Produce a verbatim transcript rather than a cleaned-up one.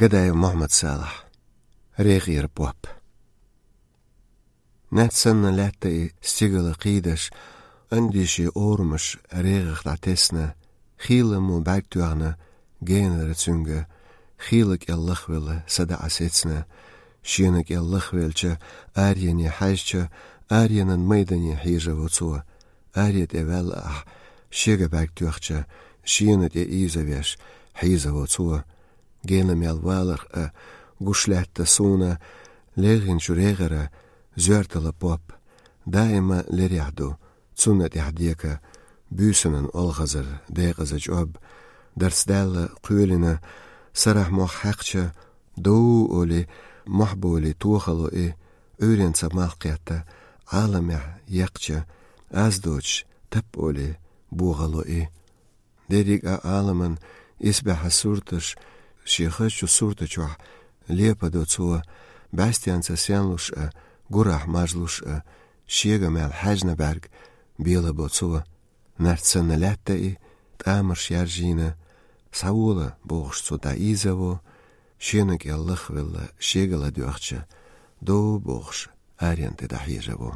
Гадаев Мухьмад-Салахь. «РегӀера поп». Наьц санна лаьтта и стигала кхийдаш, андийше орамаш регӀах дӀатесна, хийла мо бӀарг тоьхна генара цуьнга, хийла кӀел лахвелла са дӀа сецна, шена кӀел лахвелча, арене хьаьжча, аренан майдане хьежаво цо, аре тӀе ваьлла ахь, шега бӀарг тоьхча, шена тӀе ийзавеш хьийзаво цо. Гена мел валарх а гуш лаьтта суна, легӀинчу регӀара зоьртала поп. Даима лерехь ду, цунна тӀехь дека, буьйсанан олхазар декъаза чӀоб. Дарц даьлла кхоьлина, сарахь мох хьаькхча, дов оли, мохь боли тохало и, Ӏуьйренца малх кхетта, Ӏаламехь еккхча, аз доцуш, тап оли, бохало и. Дерриг а Ӏаламан исбаьхьа сурташ, шен хазачу сурта чохь лепадо цо, бӀаьстенца сенлуш а, гурахь мажлуш а, шега мел хьаьжна бӀаьрг белабо цо. Наьц санна лаьтта и, тӀамарш яржийна, схьавола бохуш цо дӀаийзаво, шена кӀел лахвелла шегала доьхча, дов бохуш арен тӀе дӀахьежаво.